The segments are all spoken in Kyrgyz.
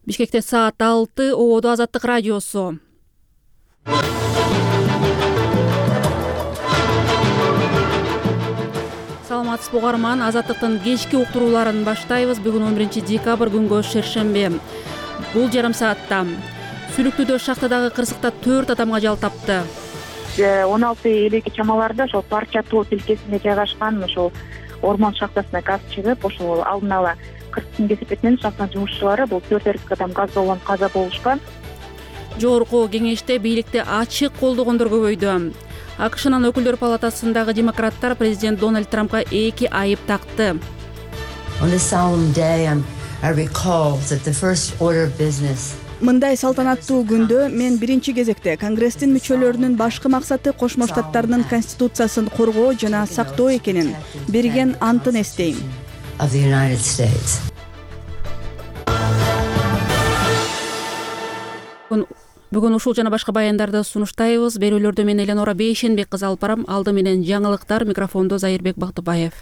Бишкекте саат 6, ободо Азаттык радиосу. Саламатсызбы угарман, Азаттыктын кечки уктурууларын баштайбыз. Бүгүн 11 декабрь, күнгө шершемби. Бул жарым саатта Сүлүктүүдө шахтадагы кырсыкта 4 адамга жал тапты. 16:50 чамаларда ошол Парча тоо тилкесинде жайгашкан ошол ормон шахтасына газ чыгып, ошол алдын ала кырсыктын кесепетинен шахта жумушчулары бул 4 эркек адам газда уланып каза болушкан. Жогорку кеңеште бийликти ачык колдогондор көбөйдү. АКШнын өкүлдөр палатасындагы демократтар президент Дональд Трампка 2 айып такты. Мындай салтанаттуу күндө мен биринчи кезекте Конгресстин мүчөлөрүнүн башкы максаты Кошмо Штаттардын конституциясын коргоо жана сактоо экенин, берген антын эстейм. Бүгүн ушул жана башка баяндарды сунуштайбыз. Берүүлөрдү мен Эленора Бейшенбек кызы алып барам. Алды менен жаңылыктар, микрофондо Зайырбек Бактыбаев.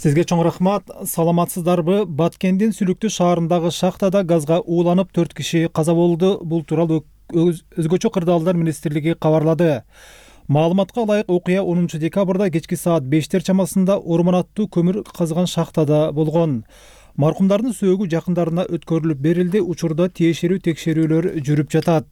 Сизге чоң рахмат. Саламатсыздарбы? Баткендин Сүлүктүү шаарындагы шахтада газга ууланып 4 киши каза болду. Бул тууралуу өзгөчө кырдаалдар министрлиги кабарлады. Маалыматка ылайык окуя 10 декабрда кечки саат 5 чамасында ормон аттуу көмүр казган шахтада болгон. Маркумдардын сөөгү жакындарына өткөрүлүп берилди. Учурда тиешелүү текшерүүлөр жүрүп жатат.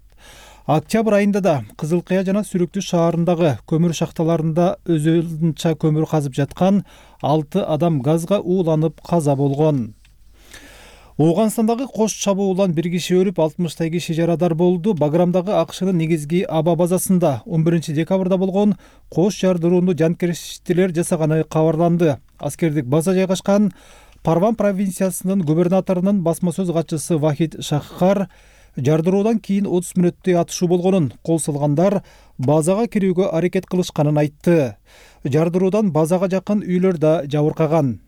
Октябрь айында да Кызыл Кыя жана Сүлүктүү шаарындагы көмүр шахталарында өзүнчө көмүр казып жаткан 6 адам газга ууланып каза болгон. Ооганстандагы кош чабуулан 1 киши өлүп, 60 киши жарадар болду. Баграмдагы АКШнын негизги аба базасында 11 декабрда болгон кош жардыруунду жанкештилер жасаганы кабарланды. Аскердик база жайгашкан Парван провинциясынын губернаторунун басма сөз катчысы Вахид Шаххар жардыруудан кийин 30 мүнөттөй атышуу болгонун, кол салгандар базага кирүүгө аракет кылышканын айтты. Жардыруудан базага жакын үйлөр да жабыркаган.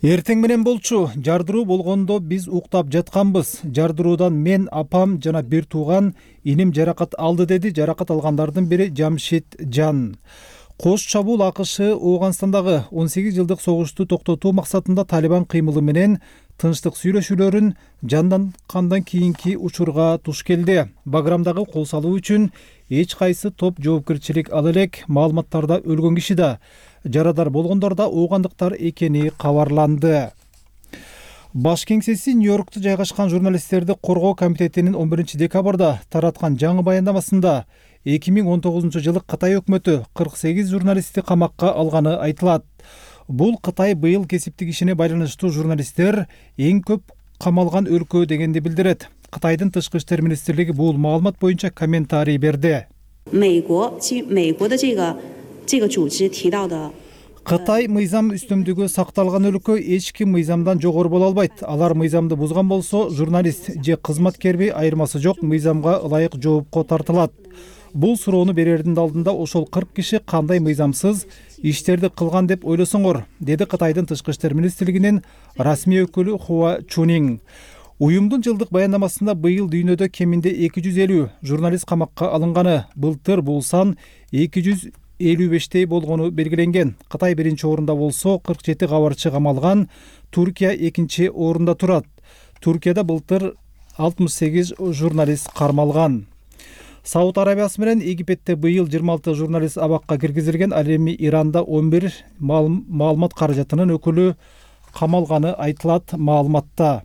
Эртең менен болчу, жардыруу болгондо биз уктап жатканбыз. Жардыруудан мен, апам жана бир тууган иним жаракат алды, деди жаракат алгандардын бири Жамшит Жан. Кош чабуул АКШ Ооганстандагы 18 жылдык согушту токтотуу максатында Талибан кыймылы менен тынчтык сүйлөшүүлөрүн жандангандан кийинки учурга туш келди. Баграмдагы кол салуу үчүн эч кайсы топ жоопкерчилик ала элек. Маалыматтарда өлгөн киши да, жарадар болгондор да оогандыктар экени кабарланды. Баш кеңсеси Нью-Йоркто жайгашкан журналисттерди коргоо комитетинин 11 декабрда тараткан жаңы баяндамасында 2019 жылы Кытай өкмөтү 48 журналистти камакка алганы айтылат. Бул Кытай быйыл кесиптик ишине байланыштуу журналисттер эң көп камалган өлкө дегенди билдирет. Кытайдын тышкы иштер министрлиги бул маалымат боюнча комментарий берди. Кытай мыйзам үстөмдүгү сакталган өлкө эч ким мыйзамдан жогору боло албайт. Алар мыйзамды бузган болсо, журналист же кызматкерби айырмасы жок, мыйзамга ылайык жоопко тартылат. Бул суроону берердин алдында ошол 40 киши кандай мыйзамсыз иштерди кылган деп ойлосоңор, деди Кытайдын тышкы иштер министрлигинин расмий өкүлү Хуа Чунинг. Уюмдун жылдык баяндамасында быйыл дүйнөдө кеминде 250 журналист камакка алынганы, былтыр бул сан 255 болгону белгиленген. Кытай биринчи орунда болсо, 47 кабарчы камалган, Туркия экинчи орунда турат. Туркияда былтыр 68 журналист кармалган. Сауд Арабиясы менен Египетте быйыл 26 журналист абакка киргизилген. Ал эми Иранда 11 маалымат каражатынын өкүлү камалганы айтылат маалыматта.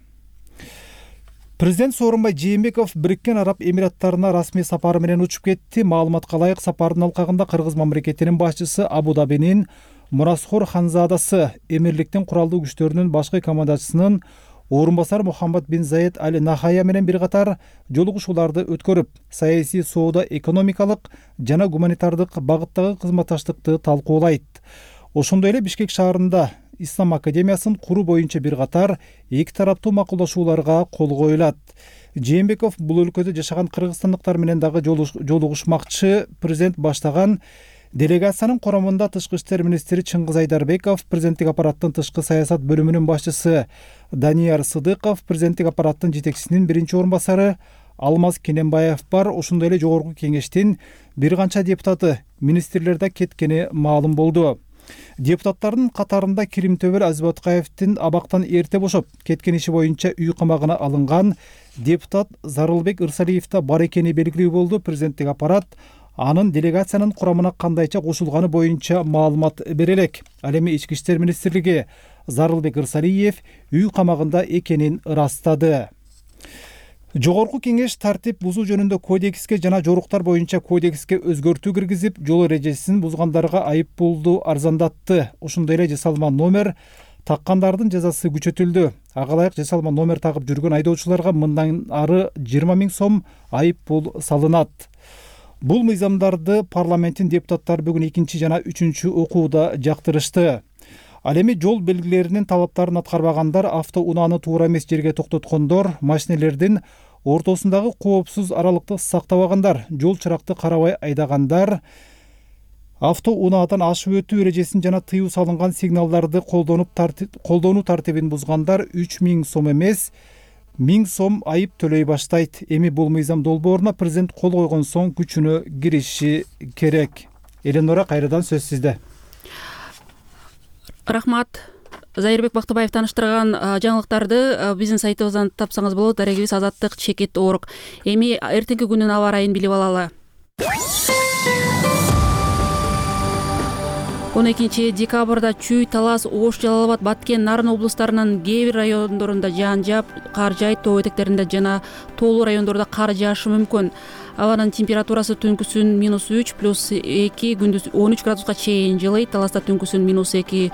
Президент Сооронбай Жээнбеков Бириккен Араб Эмираттарына расмий сапары менен учуп кетти. Маалыматка ылайык сапардын алкагында Кыргыз мамлекетинин башчысы Абу Дабинин Мурасхор Ханзадасы, Эмирликтин куралдуу күчтөрүнүн башкы командачысынын орун басары Мухаммад бин Заид Аль Нахая менен бир катар жолугушууларды өткөрүп, саясий, соода, экономикалык жана гуманитардык багыттагы кызматташтыкты талкуулайт. Ошондой эле Бишкек шаарында Ислам академиясын куруу боюнча бир катар эки тараптуу макулдашууларга кол коюлат. Жээнбеков бул өлкөдө жашаган кыргызстандыктар менен дагы жолугушмакчы. Президент баштаган делегациянын коромунда тышкы иштер министри Чыңгыз Айдарбеков, президенттик аппараттын тышкы саясат бөлүмүнүн башчысы Данияр Сыдыков, президенттик аппараттын жетекчисинин биринчи орун басары Алмаз Кененбаев бар. Ошондой эле жогорку кеңештин бир канча депутаты, министрлер да кеткени маалым болду. Депутаттардын катарында Киримтөбөл Азбаткаевдин абактан эрте бошоп кеткен иши боюнча үй камагына алынган депутат Зарылбек Ырсалиев да бар экени белгилүү болду. Президенттик аппарат анын делегациянын курамына кандайча кошулганы боюнча маалымат бере элек. Ал эми Ички иштер министрлиги Зарылбек Ырсалиев үй камагында экенин ырастады. Жогорку кеңеш тартип бузуу жөнүндө кодекске жана жоруктар боюнча кодекске өзгөртүү киргизип, жол эрежесин бузгандарга айып пулду арзандатты. Ошондой эле жасалма номер таккандардын жазасы күчөтүлдү. Ага ылайык жасалма номер тагып жүргөн айдоочуларга мындан ары 20 000 сом айып пул салынат. Бул мыйзамдарды парламенттин депутаттары бүгүн 2 жана 3 окууда жактырышты. Ал эми жол белгилеринин талаптарын аткарбагандар, автоунааны туура эмес жерге токтоткондор, машинелердин ортосундагы коопсуз аралыкты сактабагандар, жол чыракты карабай айдагандар, автоунаадан ашып өтүү эрежесин жана тыюу салынган сигналдарды колдонуу тартибин бузгандар 3000 сом эмес 1000 сом айып төлөй баштайт. Эми бул мыйзам долбооруна президент кол койгон соң күчүнө кириши керек. Эленора, кайрадан сөз сизде. Рахмат. Зайырбек Бактыбаев таныштырган жаңылыктарды биздин сайтыбыздан тапсаңыз болот. Дарегибиз Азаттык _org. Эми эртеңки күнүн аба ырайын билип алалы. 12 декабрда Чүй, Талас, Ош, Жалал абад, Баткен, Нарын облустарынын кээ бир райондорунда жаан жаап, кар жаайт, тоо этектеринде жана тоолуу райондордо кар жаашы мүмкүн. Абанын температурасы түнкүсүн -3 +2, күндүз 13 градуска чейин жылыйт. Таласта түнкүсүн -2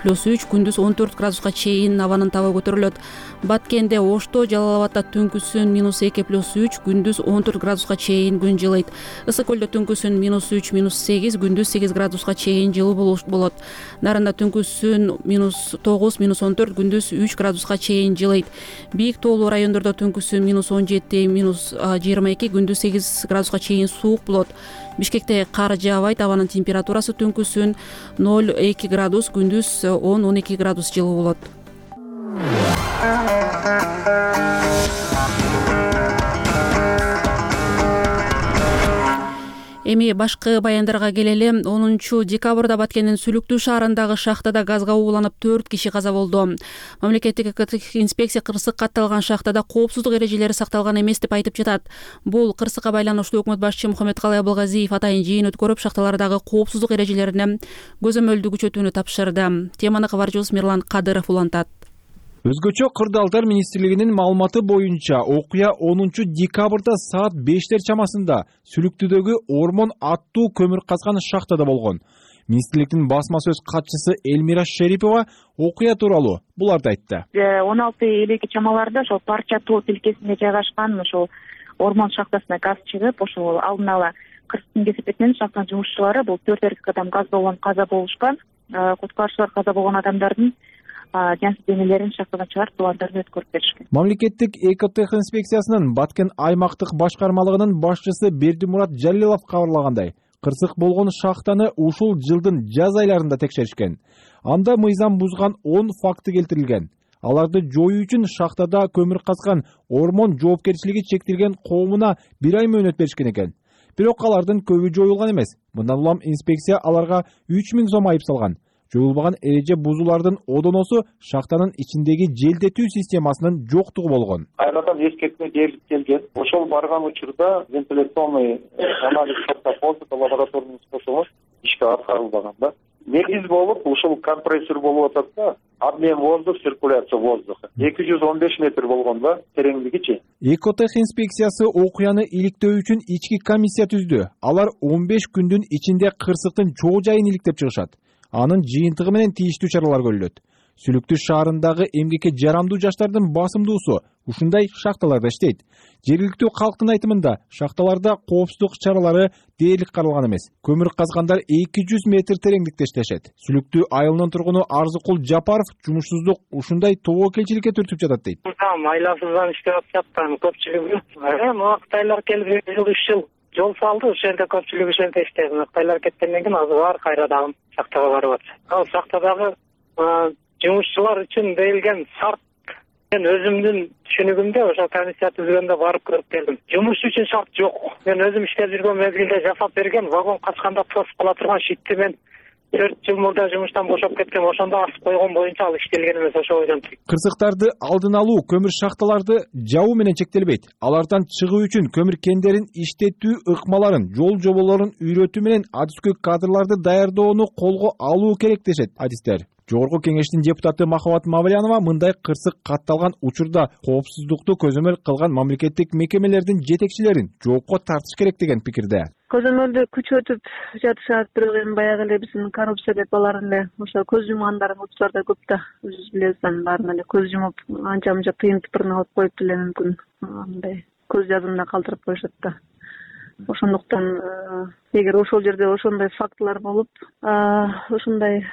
+3, күндүз 14 градуска чейин абанын табы көтөрүлөт. Баткенде, Ошто, Жалал абадда түнкүсүн -2 +3, күндүз 14 градуска чейин күн жылыйт. Ысык көлдө түнкүсүн -3 -8, күндүз 8 градуска чейин жылуу болот. Нарында түнкүсүн -9 -14, күндүз 3 градуска чейин жылыйт. Бийик тоолуу райондордо түнкүсүн -17 -22, күндүз 8 градуска чейин суук болот. Бишкекте кар жаабайт, абанын температурасы түнкүсүн 0-2 градус, күндүз 10-12 градус жылуу болот. Эми башкы баяндарга келели. 10 декабрда Баткендин Сүлүктүү шаарындагы шахтада газга ууланып 4 киши каза болду. Мамлекеттик экологиялык инспекция кырсык катталган шахтада коопсуздук эрежелери сакталган эмес деп айтып жатат. Бул кырсыкка байланыштуу өкмөт башчы Мухаммедкалый Абылгазиев атайын жыйын өткөрүп, шахталардагы коопсуздук эрежелерине көзөмөлдү күчөтүүнү тапшырды. Теманы кабарчыбыз Мирлан Кадыров улантат. Өзгөчө кырдаалдар министрлигинин маалыматы боюнча окуя 10 декабрда саат 5 чамасында Сүлүктүүдөгү Ормон аттуу көмүр казган шахтада болгон. Министрликтин басма сөз катчысы Элмира Шерипова окуя тууралуу буларды айтты. 16:50 чамаларда ошол Парча тоо тилкесинде жайгашкан ошол Ормон шахтасына газ чыгып, ошол алдын ала кырсыктын кесип менен шахтанын жумушчулары бул 4 эркек адам газда уланып каза болушкан. Куткаруучулар каза болгон адамдардын жансыз денелерин шахтадан чыгарып, тубандарын өткөрүп беришкен. Мамлекеттик экотех инспекциясынын Баткен аймактык башкармалыгынын башчысы Бердимурат Жалилов кабарлагандай, кырсык болгон шахтаны ушул жылдын жаз айларында текшеришкен. Анда мыйзам бузган 10 факты келтирилген. Аларды жоюу үчүн шахтада көмүр казган Ормон жоопкерчилиги чектелген коомуна 1 ай мөөнөт беришкен экен. Бирок алардын көбү жоюлган эмес. Мындан улам инспекция аларга 3000 сом айып салган. Жоюлбаган эреже бузуулардын одоносу шахтанын ичиндеги желдетүү системасынын жоктугу болгон. Кайрадан эскертме берилип келген. Ошол барган учурда вентиляционный анализ лабораторный способу ишке аткарылбаган да. Негиз болуп ушул компрессор болуп атат да. Обмен воздух, циркуляция воздуха. 215 метр болгон да, тереңдигичи. Экотех инспекциясы окуяны иликтөө үчүн ички комиссия түздү. Алар 15 күндүн ичинде кырсыктын чоо жайын иликтеп чыгышат. Анын жыйынтыгы менен тийиштүү чаралар көрүлөт. Сүлүктүү шаарындагы эмгекке жарамдуу жаштардын басымдуусу ушундай шахталарда иштейт. Жергиликтүү калктын айтымында шахталарда коопсуздук чаралары дээрлик каралган эмес. Көмүр казгандар 200 метр тереңдикте иштешет. Сүлүктүү айылынын тургуну Арзыкул Жапаров жумушсуздук ушундай тобокелчиликке түртүп жатат дейт. Айласыздан иштеп атышат көпчүлүгү. Мактайлар келип 3 жыл жол салды, ошол жерде көпчүлүгү ошол жерде иштеди. Мактайлар кеткенден кийин азыр бар кайрадан шахтага барып атат. Ал шахтадагы жумушчулар үчүн берилген шарт мен өзүмдүн түшүнүгүмдө ошол комиссия түзгөндө барып көрүп келдим. Жумуш үчүн шарт жок. Мен өзүм иштеп жүргөн мезгилде жасап берген, вагон качканда тосуп кала турган щитти мен 4 жыл мурда жумуштан бошоп кеткен, ошондо асып койгон боюнча ал иштелген эмес, ошо бойдон. Кырсыктарды алдын алуу көмүр шахталарды жабуу менен чектелбейт. Алардан чыгуу үчүн көмүр кендерин иштетүү ыкмаларын, жол жоболорун үйрөтүү менен адискөй кадрларды даярдоону колго алуу керек дешет адистер. Жогорку кеңештин депутаты Махабат Мавлянова мындай кырсык катталган учурда коопсуздукту көзөмөл кылган мамлекеттик мекемелердин жетекчилерин жоопко тартыш керек деген пикирде. Көзөмөлдү күчөтүп жатышат, бирок эми баягы эле биздин коррупция деп алар эле ошо көз жумгандардын учурлары да көп да. Өзүбүз билебиз, баарын эле көз жумуп, анча-мынча тыйын тыпырын алып коюп деле мүмкүн андай көз жазымда калтырып коюшат да. Ошондуктан эгер ошол жерде ошондой фактылар болуп, ошондой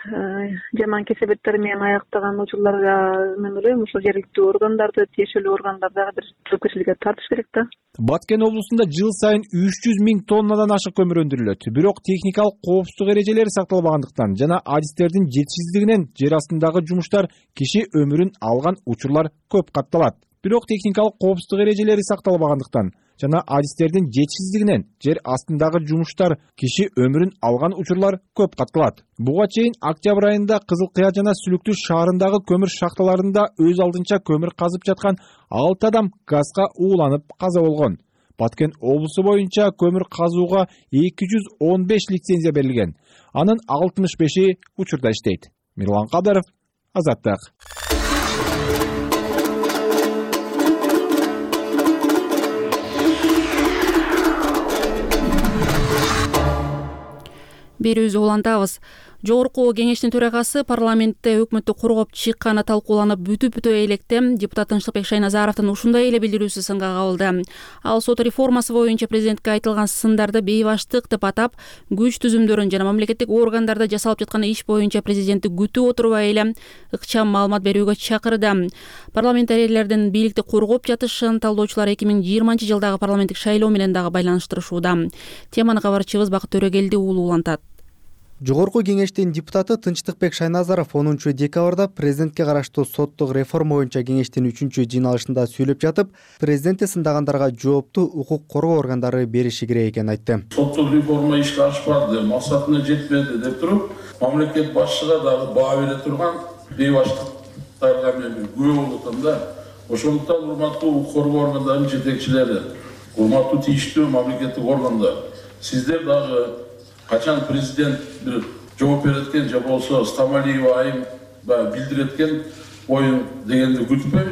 жаман кесепеттер менен аяктаган учурларга мен ойлойм, ошол жергиликтүү органдарды, тиешелүү органдарды дагы бир жоопкерчиликке тартыш керек да. Баткен облусунда жыл сайын 300 000 тоннадан ашык көмүр өндүрүлөт. Бирок техникалык коопсуздук эрежелери сакталбагандыктан жана адистердин жетишсиздигинен жер астындагы жумуштар киши өмүрүн алган учурлар көп катталат. Бирок техникалык коопсуздук эрежелери сакталбагандыктан жана адистердин жетишсиздигинен жер астындагы жумуштар киши өмүрүн алган учурлар көп катталат. Буга чейин октябрь айында Кызыл Кыя жана Сүлүктүү шаарындагы көмүр шахталарында өз алдынча көмүр казып жаткан 6 адам газга ууланып каза болгон. Баткен облусу боюнча көмүр казууга 215 лицензия берилген. Анын 65-и учурда иштейт. Мирлан Кадыров, Азаттык. Берүүбүздү улантабыз. Жогорку кеңештин төрагасы парламентте өкмөттү коргоп чыкканы талкууланып бүтүп электе депутат Тынчтыкбек Шайназаровдун ушундай эле билдирүүсү сынга кабылды. Ал сот реформасы боюнча президентке айтылган сындарды бейбаштык деп атап, күч түзүмдөрүн жана мамлекеттик органдарда жасалып жаткан иш боюнча президентти күтүп отурбай эле ыкчам маалымат берүүгө чакырды. Парламентарийлердин бийликти коргоп жатышын талдоочулар 2020 жылдагы парламенттик шайлоо менен дагы байланыштырышууда. Теманы кабарчыбыз Бакыт Төрөгелди уулу улантат. Жогорку кеңештин депутаты Тынчтыкбек Шайназаров 10 декабрда президентке караштуу соттук реформа боюнча кеңештин 3-жыйналышында сүйлөп жатып, президентти сындагандарга жоопту укук коргоо органдары бериши керек экенин айтты. Соттук реформа ишке ашпады, максатына жетпеди деп туруп, мамлекет башчыга дагы баа бере турган бейбаштыктарга мен күбө болуп атам да. Ошондуктан урматтуу укук коргоо органдарынын жетекчилери, урматтуу тийиштүү мамлекеттик органдар, сиздер дагы качан президент бир жооп береткен же болсо Стамалиева айым билдиреткен оюн дегенди күтпөй,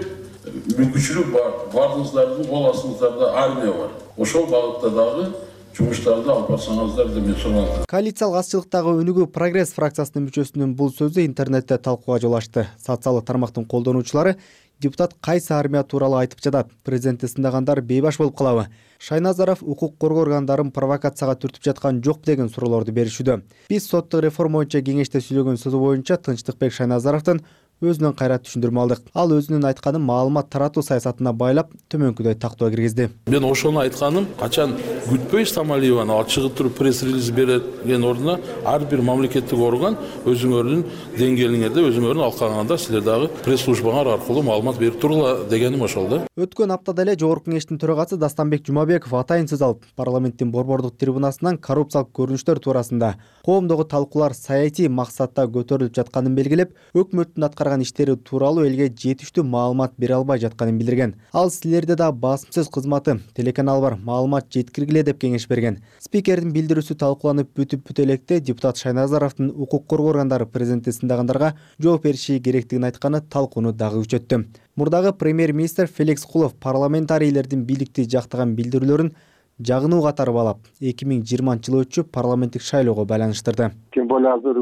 мүмкүнчүлүк бар. Бардыңыздардын кол астыңыздарда армия бар. Ошол багытта дагы жумуштарды алып барсаңыздар деп мен сураган. Коалициялык азчылыктагы Өнүгүү Прогресс фракциясынын мүчөсүнүн бул сөзү интернетте талкууга жол ачты. Социалдык тармактын колдонуучулары депутат кайсы армия тууралуу айтып жатат? Президентти сындагандар бейбаш болуп калабы? Шайназаров укук коргоо органдарын провокацияга түртүп жаткан жок деген суроолорду беришүүдө. Биз соттук реформа боюнча кеңеште сүйлөгөн сөзү боюнча Тынчтыкбек Шайназаровдун өзүнөн кайра түшүндүрмө алдык. Ал өзүнүн айтканын маалымат таратуу саясатына байлап, төмөнкүдөй тактоо киргизди. Мен ошону айтканым, качан күтпөй Стамалиеваны алып чыгып туруп пресс-релиз берген ордуна ар бир мамлекеттик орган өзүңөрдүн деңгээлиңерде өзүңөрдүн алкагыңарда силер дагы пресс-службаңар аркылуу маалымат берип тургула дегеним ошол да. Өткөн аптада эле Жогорку кеңештин төрагасы Дастанбек Жумабеков атайын сөз алып, парламенттин борбордук трибунасынан коррупциялык көрүнүштөр туурасында коомдогу талкуулар саясий максатта көтөрүлүп жатканын белгилеп, өкмөттүн аткарган иштери тууралуу элге жетиштүү маалымат бере албай жатканын билдирген. Ал силерде да басым сөз кызматы, телеканал бар, маалымат жеткиргиле деп кеңеш берген. Спикердин билдирүүсү талкууланып бүтүп электе депутат Шайназаровдун укук коргоо органдары президентти сындагандарга жооп бериши керектигин айтканы талкууну дагы күчөттү. Мурдагы премьер-министр Феликс Кулов парламентарийлердин бийликти жактаган билдирүүлөрүн жагынуу катары балап, 2020 жылы өтчү парламенттик шайлоого байланыштырды. Тем более азыр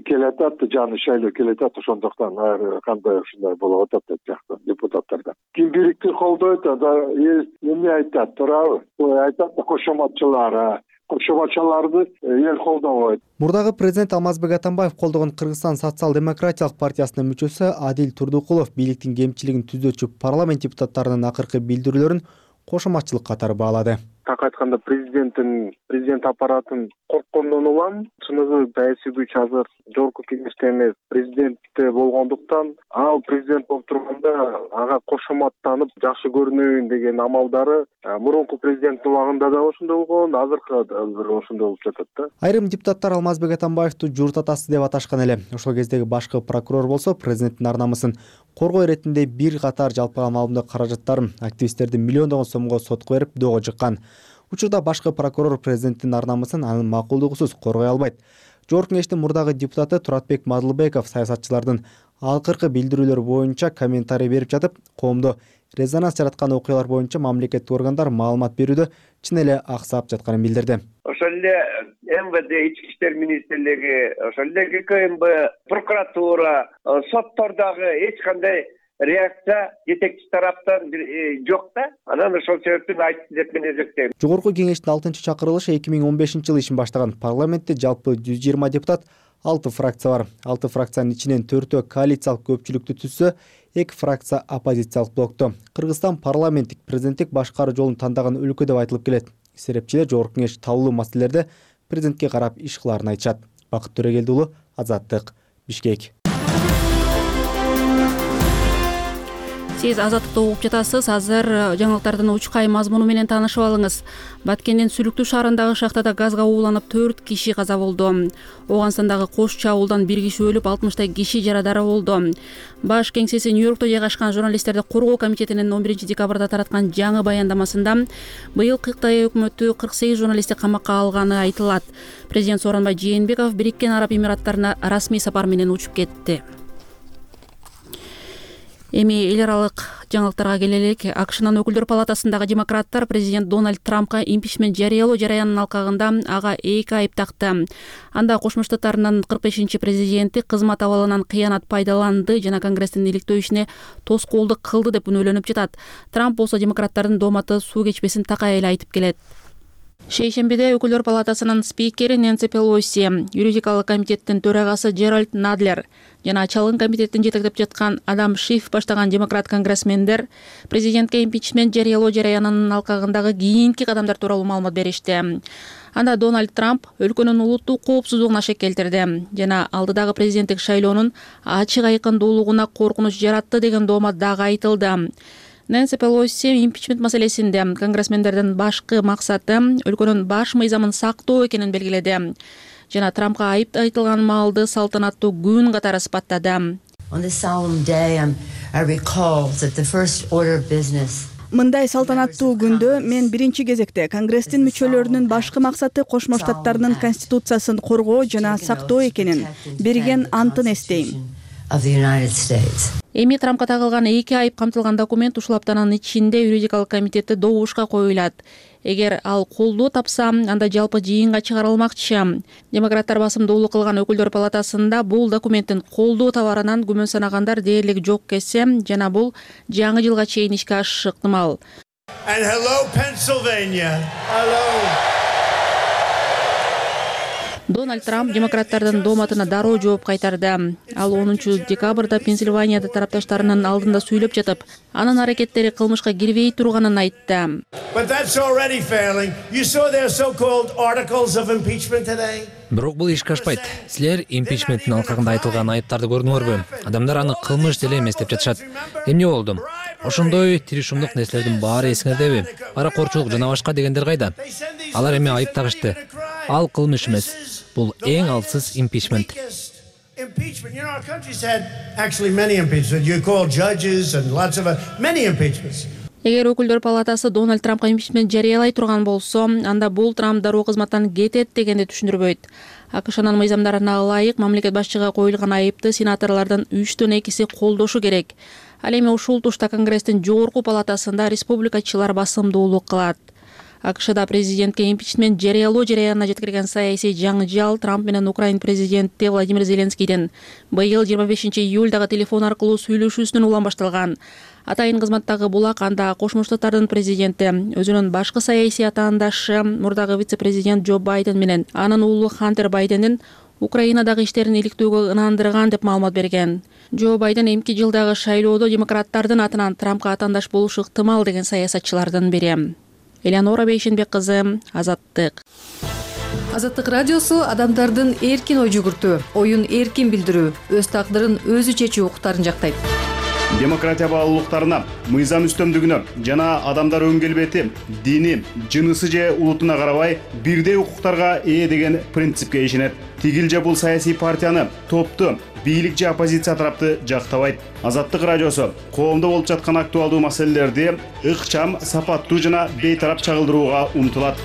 келатат, жаңы шайлоо келатат, ошондуктан ар кандай ушундай болуп атат деп жакты депутаттарда. Ким бийликти колдойт, эмне айтат, туурабы? Айтат кошоматчылар, кошоматчыларды эл колдобойт. Мурдагы президент Алмазбек Атамбаев колдогон Кыргызстан социал-демократиялык партиясынын мүчөсү Адил Турдукулов бийликтин кемчилигин түзөчү парламент депутаттарынын акыркы билдирүүлөрүн кошоматчылык катары баалады. так айтканда президент аппаратын корккондон улам чыныгы саясий күч азыр жогорку кеңеште эмес, президентте болгондуктан ал президент болуп турганда ага кошоматтанып жакшы көрүнөйүн деген амалдары мурунку президенттин убагында да ошондой болгон, азыркы да ошондой болуп жатат да. Айрым депутаттар Алмазбек Атамбаевду журт атасы деп аташкан эле. Ошол кездеги башкы прокурор болсо президенттин ар намысын коргоо иретинде бир катар жалпыга маалымдоо каражаттарын активисттердин миллиондогон сомго сотко берип доого жыккан. Учурда башкы прокурор президенттин ар намысын анын макулдугусуз коргой албайт. Жогорку кеңештин мурдагы депутаты Туратбек Мадылбеков саясатчылардын акыркы билдирүүлөрү боюнча комментарий берип жатып, коомдо резонанс жараткан окуялар боюнча мамлекеттик органдар маалымат берүүдө чын эле аксап жатканын билдирди. Ошол эле МВД, Ички иштер министрлиги, ошол эле ГКМБ, прокуратура, соттордогу эч кандай реакция жетекчи тараптан жок да. Анан ошол себептен айтты деп мен эсептейм. Жогорку кеңештин 6-чакырылышы 2015-жылы ишин баштаган. Парламентте жалпы 120 депутат, 6 фракция бар. 6 фракциянын ичинен 4-өө коалициялык көпчүлүктү түзсө, 2 фракция оппозициялык блокту. Кыргызстан парламенттик президенттик башкаруу жолун тандаган өлкө деп айтылып келет. Серепчилер жогорку кеңеш таулуу маселелерде президентке карап иш кылаарын айтышат. Бакыт Төрөгелди уулу, Азаттык, Бишкек. Сиз Азаттыкты угуп жатасыз. Азыр жаңылыктардын учкай мазмуну менен таанышып алыңыз. Баткендин Сүлүктүү шаарындагы шахтада газга ууланып 4 киши каза болду. Ооганстандагы Кош чабуулдан 1 киши өлүп, 60 киши жарадар болду. Баш кеңсеси Нью-Йоркто жайгашкан журналисттерди коргоо комитетинин 11 декабрда тараткан жаңы баяндамасында быйыл Кытай өкмөтү 48 журналистти камакка алганы айтылат. Президент Сооронбай Жээнбеков Бириккен Араб Эмираттарына расмий сапар менен учуп кетти. Эми эл аралык жаңылыктарга келелик. АКШнын өкүлдөр палатасындагы демократтар президент Дональд Трампка импичмент жарыялоо жараянынын алкагында ага 2 айып такты. Анда Кошмо Штаттарынын 45-чи президенти кызмат абалынан кыянат пайдаланды жана Конгресстин иликтөө ишине тоскоолдук кылды деп күнөөлөнүп жатат. Трамп болсо демократтардын дооматы суу кечпесин такай эле айтып келет. Шейшембиде өкүлдөр палатасынын спикери Нэнси Пелоси, юридикалык комитеттин төрагасы Джеральд Надлер жана чалгын комитеттин жетектеп жаткан Адам Шиф баштаган демократ конгрессмендер президентке импичмент жарыялоо жараянынын алкагындагы кийинки кадамдар тууралуу маалымат беришти. Анда Дональд Трамп өлкөнүн улуттук коопсуздугуна шек келтирди жана алдыдагы президенттик шайлоонун ачык айкындуулугуна коркунуч жаратты деген доомат дагы айтылды. Нэнси Пелоси импичмент маселесинде конгрессмендердин башкы максаты өлкөнүн баш мыйзамын сактоо экенин белгиледи жана Трампка айып айтылган маалды салтанаттуу күн катары сыпаттады. Мындай салтанаттуу күндө мен биринчи кезекте Конгресстин мүчөлөрүнүн башкы максаты Кошмо Штаттарынын конституциясын коргоо жана сактоо экенин берген антын эстейм. Эми Трампка тагылган 2 айып камтылган документ ушул аптанын ичинде юридикалык комитетте добушка коюлат. Эгер ал колдоо тапса, анда жалпы жыйынга чыгарылмакчы. Демократтар басымдуулук кылган өкүлдөр палатасында бул документтин колдоо табарынан күмөн санагандар дээрлик жок кесе жана бул жаңы жылга чейин ишке ашышы ыктымал. Дональд Трамп демократтардын дооматына дароо жооп кайтарды. Ал 10 декабрда Пенсильванияда тарапташтарынын алдында сүйлөп жатып, анын аракеттери кылмышка кирбей турганын айтты. Бирок бул ишке ашпайт. Силер импичменттин алкагында айтылган айыптарды көрдүңөрбү? Адамдар аны кылмыш деле эмес деп жатышат. Эмне болду? Ошондой тиришумдук нерселердин баары эсиңердеби? Паракорчулук жана башка дегендер кайда? Алар эми айып тагышты. Ал кылмыш эмес. Бул эң алсыз импичмент. Эгер өкүлдөр палатасы Дональд Трампка импичмент жарыялай турган болсо, анда бул Трамп дароо кызматтан кетет дегенди түшүндүрбөйт. АКШнын мыйзамдарына ылайык мамлекет башчыга коюлган айыпты сенаторлордун 3/2 колдошу керек. Ал эми ушул тушта Конгресстин жогорку палатасында республикачылар басымдуулук кылат. АКШда президентке импичмент жарыялоо жараянына жеткирген саясий жаңжал Трамп менен Украин президенти Владимир Зеленскийдин быйыл 25 июлдагы телефон аркылуу сүйлөшүүсүнөн улам башталган. Атайын кызматтагы булак анда Кошмо Штаттардын президенти өзүнүн башкы саясий атаандашы мурдагы вице-президент Джо Байден менен анын уулу Хантер Байдендин Украинадагы иштерин иликтөөгө ынандырган деп маалымат берген. Джо Байден эмки жылдагы шайлоодо демократтардын атынан Трампка атаандаш болушу ыктымал деген саясатчылардын бири. Элеонора Бейшенбек кызы, Азаттык. Азаттык радиосу адамдардын эркин ой жүгүртүү, оюн эркин билдирүү, өз тагдырын өзү чечүү укуктарын жактайт. Демократия баалуулуктарына, мыйзам үстөмдүгүнө жана адамдар өң келбети, дини, жынысы же улутуна карабай бирдей укуктарга ээ деген принципке ишенет. Тигил же бул саясий партияны, топту, бийлик же оппозиция тарапты жактабайт. Азаттык радиосу коомдо болуп жаткан актуалдуу маселелерди ыкчам, сапаттуу жана бейтарап чагылдырууга умтулат.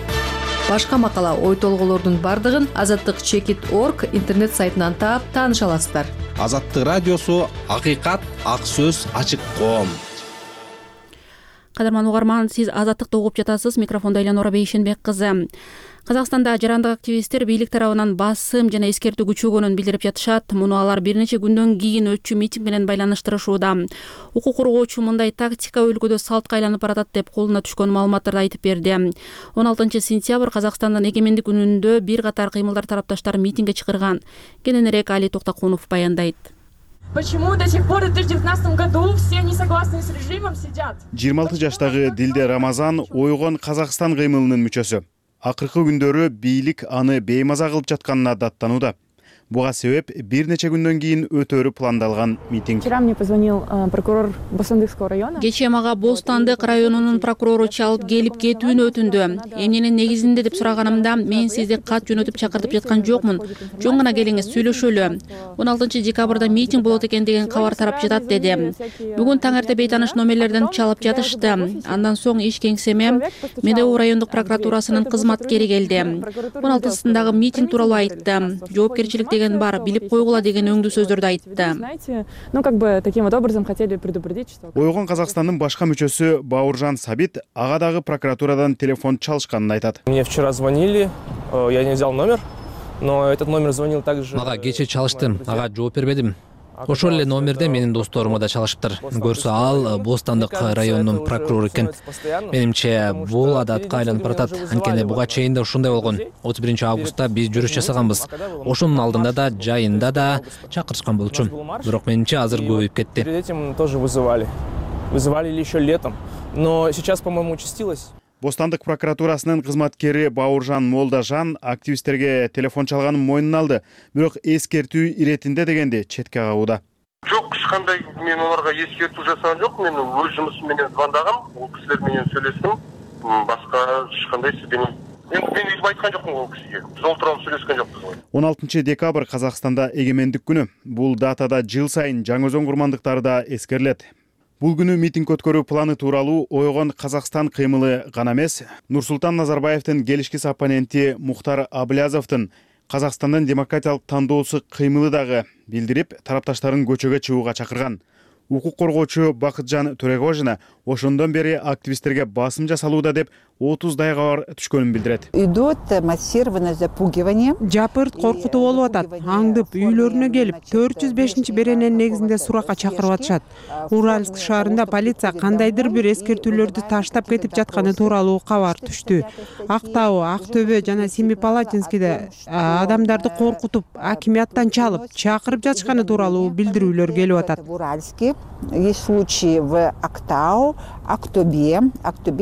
Башка макала, ой толгоолордун бардыгын azattik.org интернет сайтынан таап тааныша аласыздар. Азаттык радиосу акыйкат, ак сөз, ачык коом. Кадырман угарман, сиз Азаттыкты угуп жатасыз. Микрофондо Элеонора Бейшенбек кызы. Казакстанда жарандык активисттер бийлик тарабынан басым жана эскертүү күчөгөнүн билдирип жатышат. Муну алар бир нече күндөн кийин өтчү митинг менен байланыштырышууда. Укук коргоочу мындай тактика өлкөдө салтка айланып баратат деп колуна түшкөн маалыматтарды айтып берди. 16-сентябрь Казакстандын эгемендик күнүндө бир катар кыймылдар тарапташтары митингге чакырган. Кененирээк Али Токтакунов баяндайт. Почему до сих пор в 2019 году все не согласны с режимом сидят? 26 жаштагы Дилде Рамазан ойгон Казакстан кыймылынын мүчөсү. Акыркы күндөрү бийлик аны беймаза кылып жатканына даттанууда. Буга себеп бир нече күндөн кийин өтөрү пландалган митинг. Вчера мне позвонил прокурор Бостандыкского района. Кечээ мага Бостандык районунун прокурору чалып келип кетүүнү өтүндү. Эмненин негизинде деп сураганымда, мен сизди кат жөнөтүп чакыртып жаткан жокмун. Жөн гана келиңиз, сүйлөшөлү. 16-декабрда митинг болот экен деген кабар тарап жатат деди. Бүгүн таң эрте бейтаныш номерлерден чалып жатышты. Андан соң иш кеңсеме Медеу райондук прокуратурасынын кызматкери келди. 16-сындагы митинг тууралуу айтты. Жоопкерчилик бар, билип койгула деген өңдүү сөздөрдү айтты. Ну, как бы таким вот образом хотели предупредить, что... Ойгон Казакстандын башка мүчөсү Бауыржан Сабит ага дагы прокуратурадан телефон чалышканын айтат. Мне вчера звонили, я не взял номер, но этот номер звонил также... Мага кечээ чалышты, ага жооп бербедим. Ошол эле номерде менин досторума да чалышыптыр. Көрсө ал Бостандык районунун прокурору экен. Менимче бул адатка айланып баратат. Анткени буга чейин да ушундай болгон. 31 августта биз жүрүш жасаганбыз. Ошонун алдында да, жайында да чакырышкан болчу. Бирок менимче азыр көбөйүп кетти. Перед этим тоже вызывали еще летом, но сейчас, по-моему, участилось. Бостандык прокуратурасынын кызматкери Бауыржан Молдажан активисттерге телефон чалганын мойнуна алды, бирок эскертүү иретинде дегенди четке кагууда. Жок, эч кандай мен аларга эскертүү жасаган жок. Мен өз жумушум менен звондагам, бул кишилер менен сүйлөштүм. Башка эч кандай мен изим айткан жокмун бул кишиге. Биз олтуруп сүйлөшкөн жокпуз. 16 декабрь Казакстанда эгемендик күнү. Бул датада жыл сайын жаңы өзөн курмандыктары да эскерилет. Бул күнү митинг өткөрүү планы тууралуу ойгон Казакстан кыймылы гана эмес, Нурсултан Назарбаевдин келишкис оппоненти Мухтар Аблязовдун Казакстандын демократиялык тандоосу кыймылы дагы билдирип, тарапташтарын көчөгө чыгууга чакырган. Укук коргоочу Бакытжан Төрөгожина ошондон бери активисттерге басым жасалууда деп 30 кабар түшкөнүн билдирет. Идут массированное запугивание. Жапырт коркутуу болуп атат. Аңдып үйлөрүнө келип 405 берененин негизинде суракка чакырып атышат. Уральск шаарында полиция кандайдыр бир эскертүүлөрдү таштап кетип жатканы тууралуу кабар түштү. Актау, Актөбө жана Семипалатинскийде адамдарды коркутуп, акимияттан чалып, чакырып жатышканы тууралуу билдирүүлөр келип атат. Есть случаи в Актау, Актобе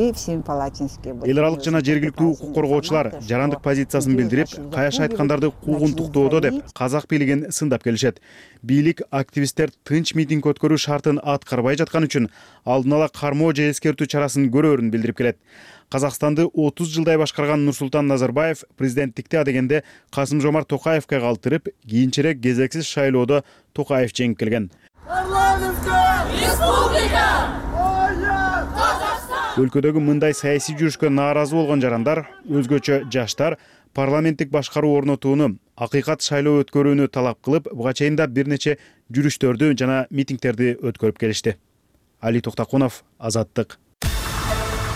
и в Семипалатинске. Эл аралык жана жергиликтүү укук коргоочулар жарандык позициясын билдирип, каяш айткандарды куугунтуктоодо деп казак бийлигин сындап келишет. Бийлик активисттер тынч митинг өткөрүү шартын аткарбай жаткан үчүн алдын ала кармоо же эскертүү чарасын көрөөрүн билдирип келет. Казакстанды 30 жылдай башкарган Нурсултан Назарбаев президенттикти адегенде Касым-Жомарт Токаевге калтырып, кийинчерээк кезексиз шайлоодо Токаев жеңип келген. Өлкөдөгү мындай саясий жүрүшкө нааразы болгон жарандар, өзгөчө жаштар парламенттик башкаруу орнотууну, акыйкат шайлоо өткөрүүнү талап кылып, буга чейин да бир нече жүрүштөрдү жана митингтерди өткөрүп келишти. Али Токтакунов, Азаттык.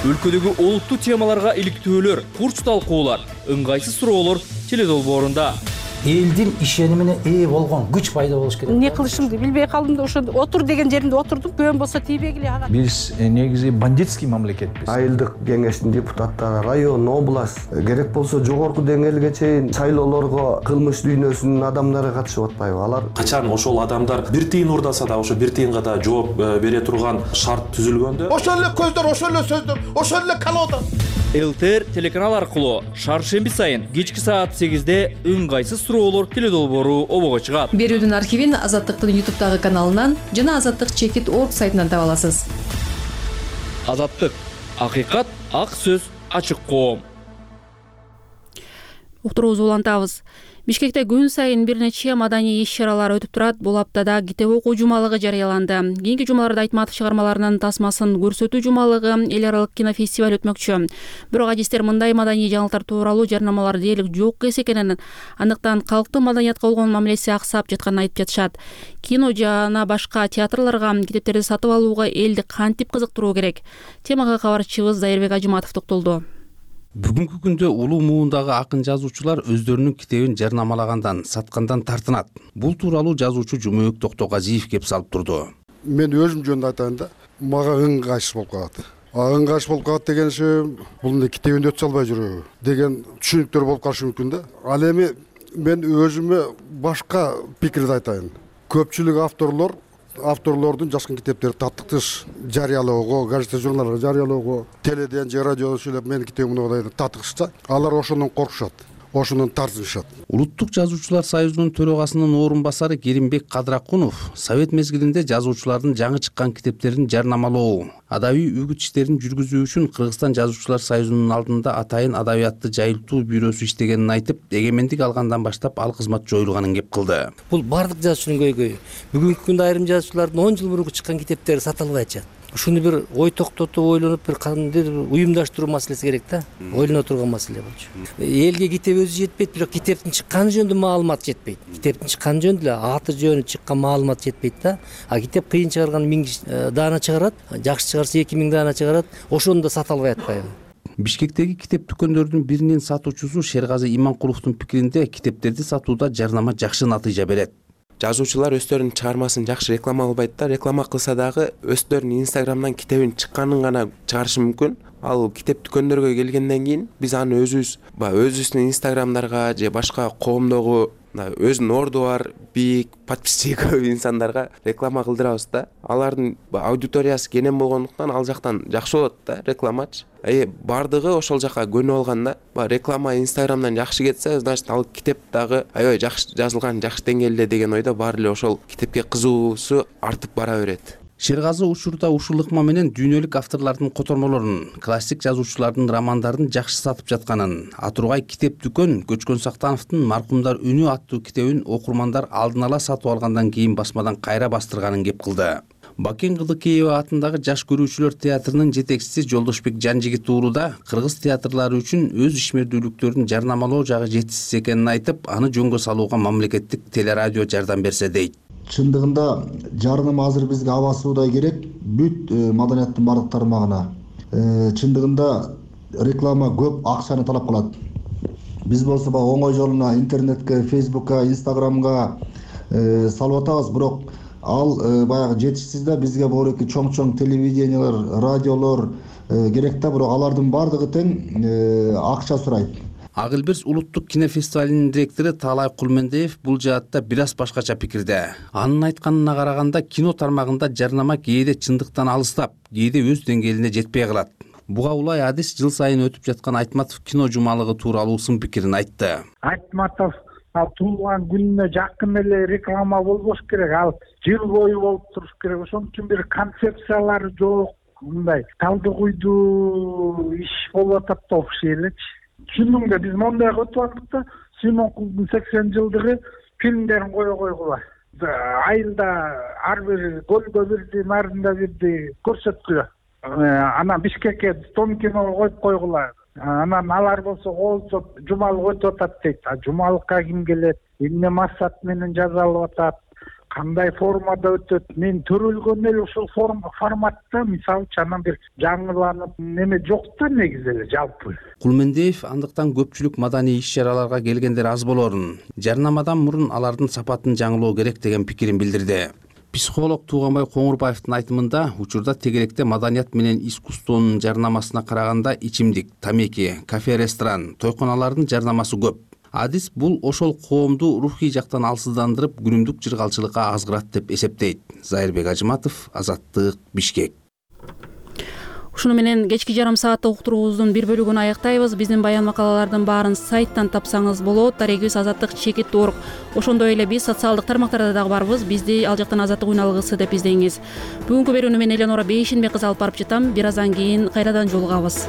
Өлкөдөгү олуттуу темаларга иликтөөлөр, курч талкуулар, ыңгайсыз суроолор теледолбоорунда. Элдин ишенимине ээ болгон күч пайда болуш керек. Не кылышымды билбей калдым да ошо отур деген жеримде отурдум. Көөн болсо тийбегиле ага. Биз негизи бандитский мамлекетпиз. Айылдык кеңештин депутаттары, район, область, керек болсо жогорку деңгээлге чейин шайлоолорго кылмыш дүйнөсүнүн адамдары катышып атпайбы? Алар качан ошол адамдар бир тыйын урдаса да ошо бир тыйынга да жооп бере турган шарт түзүлгөндө, ошол эле көздөр, ошол эле сөздөр, ошол эле колода ЛТР телеканал аркылуу шаршемби сайын кечки саат 8-де ыңгайсыз суроолор теледолбоору обого чыгат. Берүүдүн архивин Азаттыктын YouTube каналынан жана azattik.org сайтынан таба аласыз. Азаттык, акыйкат, ак сөз, ачык коом. Уктуруубузду улантабыз. Бишкекте күн сайын бир нече маданий иш-чаралар өтүп турат. Бул аптада китеп окуу жумалыгы жарыяланды. Кийинки жумаларда Айтматов чыгармаларынын тасмасын көрсөтүү жумалыгы, эл аралык кинофестиваль өтмөкчү. Бирок адистер мындай маданий жаңылыктар тууралуу жарнамалар дээрлик жок экенин, андыктан калктын маданиятка болгон мамилеси аксап жатканын айтып жатышат. Кино жана башка театрларга китептерди сатып алууга элди кантип кызыктыруу керек? Темага кабарчыбыз Зайырбек Ажыматов токтолду. Бүгүнкү күндө улуу муундагы акын жазуучулар өздөрүнүн китебин жарнамалагандан, саткандан тартынат. Бул тууралуу жазуучу Жумөк Токтогазиев кеп салып турду. Мен өзүм жөнүндө айтайын да, мага ыңгайсыз болуп калат. Ыңгайсыз болуп калат дегенше, бул эмне китебин өтө албай жүрөбү деген түшүнүктөр болуп калышы мүмкүн да. Ал эми мен өзүмө башка пикирди айтайын. Көпчүлүк авторлордун жазган китептери таттыктыш жарыялоого, газета журналдарга жарыялоого, теледен же радиодон сүйлөп менин китебимди таттыкышса, алар ошондон коркушат, ошондон тартынышат. Улуттук жазуучулар союзунун төрагасынын орун басары Керимбек Кадракунов совет мезгилинде жазуучулардын жаңы чыккан китептерин жарнамалоо, адабий үгүт иштерин жүргүзүү үчүн Кыргызстан жазуучулар союзунун алдында атайын адабиятты жайылтуу бюросу иштегенин айтып, эгемендик алгандан баштап ал кызмат жоюлганын кеп кылды. Бул бардык жазуучунун көйгөйү. Бүгүнкү күндө айрым жазуучулардын 10 жыл мурунку чыккан китептери сатылбай атышат. Ушуну бир ой токтотуп, ойлонуп, бир кандайдыр уюмдаштыруу маселеси керек да. Ойлоно турган маселе болчу. Элге китеп өзү жетпейт, бирок китептин чыкканы жөнүндө маалымат жетпейт. Китептин чыкканы жөнүндө эле аты жөнү чыккан маалымат жетпейт да. А китеп кыйын чыгарган 1000 даана чыгарат, жакшы чыгарса 2000 даана чыгарат, ошону да сата албай атпайбы? Бишкектеги китеп дүкөндөрүнүн биринин сатуучусу Шергази Иманкуловдун пикиринде китептерди сатууда жарнама жакшы натыйжа берет. Жазуучулар өздөрүнүн чыгармасын жакшы реклама кылбайт да, реклама кылса дагы өздөрүнүн Инстаграмдан китебин чыкканын гана чыгарышы мүмкүн. Ал китеп дүкөндөргө келгенден кийин биз аны өзүбүздүн Инстаграмдарга же башка коомдогу өзүнүн орду бар, бийик, подписчиги көп инсандарга реклама кылдырабыз да. Алардын аудиториясы кенен болгондуктан ал жактан жакшы болот да рекламачы. Бардыгы ошол жака көнүп алганда, реклама Инстаграмдан жакшы кетсе, значит ал китеп дагы аябай жакшы жазылган, жакшы деңгээлде деген ойдо баары эле ошол китепке кызыгуусу артып бара берет. Шергази учурда ушул ыкма менен дүйнөлүк авторлордун котормолорун, классик жазуучулардын романдарын жакшы сатып жатканын, Атургай китеп дүкөн Көчкөн Сактановдун Маркумдар үнү аттуу китебин окурмандар алдын ала сатып алгандан кийин басмадан кайра бастырганын кеп кылды. Бакен Кылдыкеева атындагы Жаш көрүүчүлөр театрынын жетекчиси Жолдошбек Жанжигит ууруда кыргыз театрлары үчүн өз ишмердүүлүктөрүн жарнамалоо жагы жетишсиз экенин айтып, аны жөнгө салууга мамлекеттик телерадио жардам берсе дейт. Чындыгында жарнама азыр бизге аба суудай керек, бүт маданияттын бардык тармагына. Чындыгында реклама көп акчаны талап кылат. Биз болсо оңой жолуна интернетке, Фейсбукка, Инстаграмга салып атабыз, бирок ал баягы жетишсиз да. Бизге богореки чоң телевидениялар, радиолор керек да, бирок алардын бардыгы тең акча сурайт. Ак Элберс улуттук кинофестивалынын директору Таалай Кулмендеев бул жаатта бир аз башкача пикирде. Анын айтканына караганда, кино тармагында жарнама кээде чындыктан алыстап, кээде өз деңгээлине жетпей калат. Буга улай адис жыл сайын өтүп жаткан Айтматов кино жумалыгы тууралуу сын пикирин айтты. Айтматов туулган күнүнө жакын эле реклама болбош керек, ал жыл бою болуп туруш керек. Ошон үчүн бир концепциялары жок, мындай талды куйдуу иш болуп атат да окшой элечи. Чынында биз мондайга өтүп алдык да, Симонкулдун 80 жылдыгы фильмдерин кое койгула. Айылда ар бир көлгө бирди, нарында бирди көрсөткүлө. Анан Бишкекке Том киного коюп койгула. Анан алар болсо коолчоп жумалык өтүп атат дейт. Жумалыкка ким келет, эмне максат менен жазалып атат, кандай формада өтөт. Мен төрөлгөн эле ушул форматта, мисалы анан бир жаңыланып неме жок да негизи эле жалпы. Кулмендеев андыктан көпчүлүк маданий иш-чараларга келгендер аз болорун, жарнамадан мурун алардын сапатын жаңылоо керек деген пикирин билдирди. Психолог Тууганбай Коңурбаевдин айтымында, учурда тегеректе маданият менен искусствонун жарнамасына караганда ичимдик, тамеки, кафе, ресторан, тойконалардын жарнамасы көп. Адис бул ошол коомду рухий жактан алсыздандырып, күнүмдүк жыргалчылыкка азгырат деп эсептейт. Зайырбек Ажыматов, Азаттык, Бишкек. Ушуну менен кечки жарым сааттык уктуруубуздун бир бөлүгүн аяктайбыз. Биздин баян макалалардын баарын сайттан тапсаңыз болот. Дарегибиз azatlyk.org. Ошондой эле биз социалдык тармактарда дагы барбыз. Бизди ал жактан Азаттык үн алгысы деп издеңиз. Бүгүнкү берүүнү мен Эленора Бейшенбек кызы алып барып жатам. Бир аздан кийин кайрадан жолугабыз.